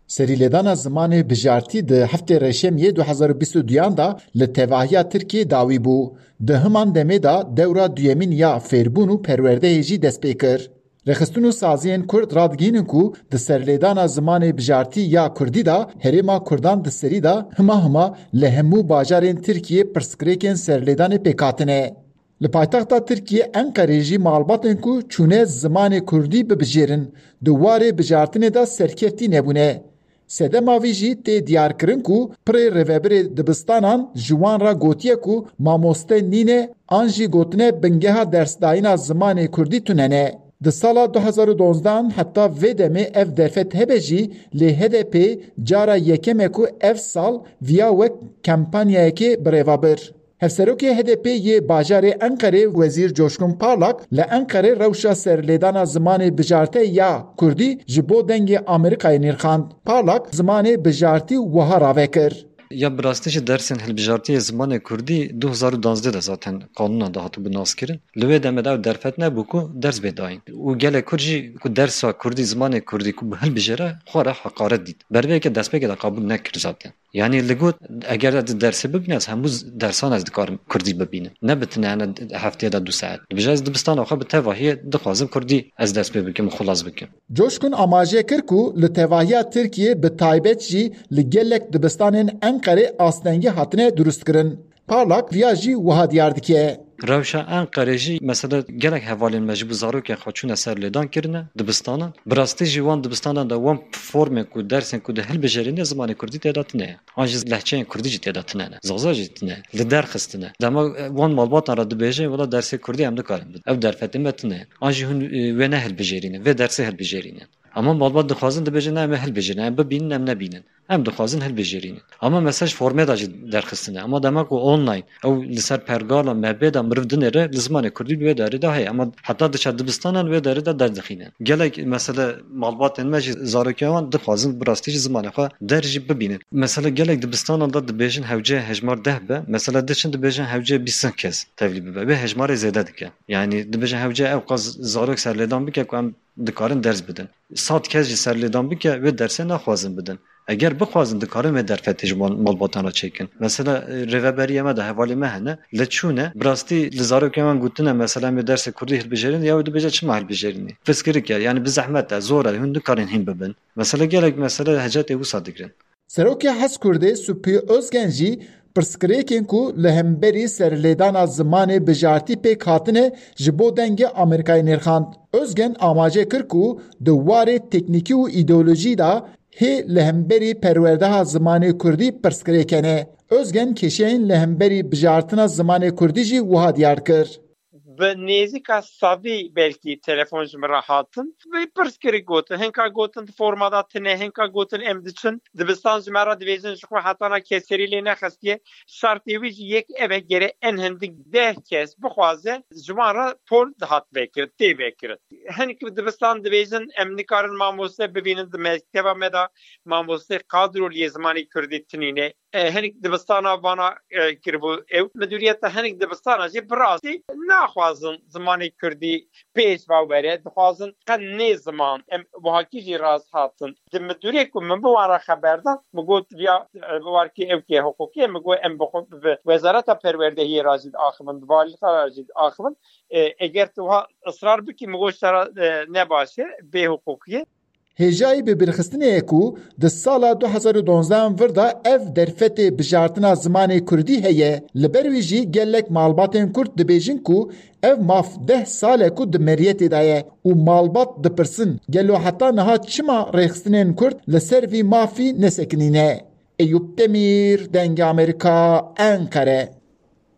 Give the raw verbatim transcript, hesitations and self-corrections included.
Serîlêdana zimanê bijartî di heftê Reşemiyê du hezar û bîst û duyan de li tevahiya Tirkiyê dawî bû. Di himan demê de dewra duyemîn ya fêrbûn û perwerdeyê jî dest pê kir. Rêxistin û saziyên Kurd radigihînin ku di serlêdana zimanê bijartî ya Kurdî de herêma Kurdan di serî de hima hima li hemû bajarên Tirkiyê pirsgirêkên serlêdanê pêk hatine. Li paytexta Tirkiyê Enqerê jî malbatên ku çûne zimanê Kurdî bibijêrin, di warê bijartinê de serkeftî nebûne. Sedema vî jî tê diyarkirin ku pirê rêvebirê dibistanan ji wan re gotiye ku mamoste nîne an jî gotine bingeha dersdayîna zimanê Kurdî tune ne. Di sala du hezar û donzdehan heta vê demê ev derfet hebe jî, lê H D P cara yekem e ku ev sal viya wek kampanyayekê birêve bir. Hevserokê H D P yê bajarê Enqerê Wezîr Coşkun Parlak li Enqerê rewşa serlêdana zimanê bijarte ya Kurdî ji bo Dengê Amerîkayê nirxand. Parlak zimanê bijartî wiha rave kir. Ya bi rastî jî dersên hilbijartiyê zimanê Kurdî du hezar û duwazdeh de zaten qanûna de hatibû naskirin. Li wê demê de ew derfet nebû ku ders bê dayîn. Û gelek Kurd jî ku dersa Kurdî, zimanê Kurdî ku bi hilbijêre xwe re heqaret dît. Bervê yekê destpêkê de qebûl nekir zaten. Yanî li got, eger ez di dersê bibînim, ez hemû z-, dersan ez dikarim Kurdî bibînim. Ne bi tine hene hefteyê de du saet. Dibêje ez dibistana xwe bi tevahiyê dixwazim Kurdî ez dest pê bikim û xilas bikim. Coşkun amaje kir ku li tevahiya Tirkiyê bi taybet jî li gelek dibistanên Enqerê astengî hatine durustkirin. Parlak viya jî wiha diyar dike. Rewşa Enqerê jî mesela gelek hevalên me ji bo zarokên xwe çûne ser lêdan kirine dibistanan. Bi rastî jî wan dibistanan de wan formên ku dersên ku di hilbijêrîne zimanê Kurdî tê de tine ye. An jî lehçeyên Kurdî jî tê de tine ne. Zaza jî tine. Li der xistine. Dema, e, wan malbatan re dibêje, wela dersê Kurdî em nikarin bidin. Ev derfetê me tine ye. An jî hûn, e, wê ne hilbijêrîne. Vê dersê hilbijêrîne. Ama malbat dixwazin dibêjin, "Ne, em ê hilbijêrin, em bibînin, em nebînin." Em dixwazin hilbijêrînin. Ama mesaj formê de jî derxistine. Ama dema ku online, ew li ser pergala mebê de miriv dinêre, li zimanê Kurdî li wê derê de heye. Ama heta diçe dibistanan wê derê de derdixînin. Gelek mesele malbatên me jî zarokên wan dixwazin bi rastî jî zimanê xwe der jî bibînin. Mesele gelek dibistanan de dibêjin hewce hejmar deh be. Mesele diçin dibêjin hewce bîst kes tevlî bibe. Wê hejmarê zêde dike. Yanî dibêjin hewce ew qas zarok serlêdan bike ku em dikarin ders bidin. Sed kes jî serlêdan bike, wê dersê naxwazin bidin. Eger bixwazin, dikarin wê derfetê ji mal-, malbatan re çêkin. Mesela, e, rêveberiyê me de hevalê me hene, li çûne, bi rastî li zarokên wan gotine, mesela, em ê dersê Kurdî hilbijêrin, ya wê dibêje çima hilbijêrînê? Pirsgirêk e, yanî bi zehmet e, zor e, hûn nikarin hîn bibin. Mesela gelek mesele hecetê wisa digirin. Serokê Heskurdê Supî Özgen jî pirsgirêkên ku li hemberî serlêdana zimanê bijartî pêk hatine ji bo Dengê Amerîkayê nirxand. Özgen amaje kir ku di warê teknîkî û îdeolojî de hê li hemberî perwerdeha zimanê Kurdî pirsgirêk hene. Özgen kêşeyên li hemberî bijartina zimanê Kurdî jî wiha diyar kir. Bi nêzîka sedî belkî telefon ji min re hatin. Vê pirs kirî gotin. Hinka gotin di forma de tine, hinka gotin em diçin. Dibistan ji me re dibêjin ji xwe hetana keserî lê nexestiye. Şertê wî jî yek ev e, gere en hindik deh kes bixwaze ji wan re pol dihat vekirin, tê vekirin. Hinek dibistan dibêjin em nikarin mamoste bibînin di mekteba me de, mamoste kadro lê zimanê kurdî tinîne. E, hinek dibistana vana, e, kiribû ew. Midûriyeta hinek dibistana jî bi rastî naxwazin zimanê kurdî pêş ve were. Dixwazin qet nê ziman. Em wahakî jî rast hatin. Di midûriyê ku min bi wan re xeber da, min got, viya, e, warkî ew kê hiqûqî ye, min got, em bi xwe, bi Wezareta Perwerdehiyê re jî diaxivin, bi valîta re jî diaxivin. E, eger tu wiha israr bikî, min got, ji te re, e, ne baş e, bê hiqûqî ye. Hêjayî bibîrxistinê ye ku di sala du hezar û donzdehan vir de ev derfetê bijartina zimanê kurdî heye. Li ber wî jî gelek malbatên kurd dibêjin ku ev maf deh sal e ku di meriyetê de ye û malbat dipirsin, gelo heta niha çima rêxistinên kurd li ser vî mafî nesekinîne? Eyûp Demîr, Dengê Amerîka, Enqere.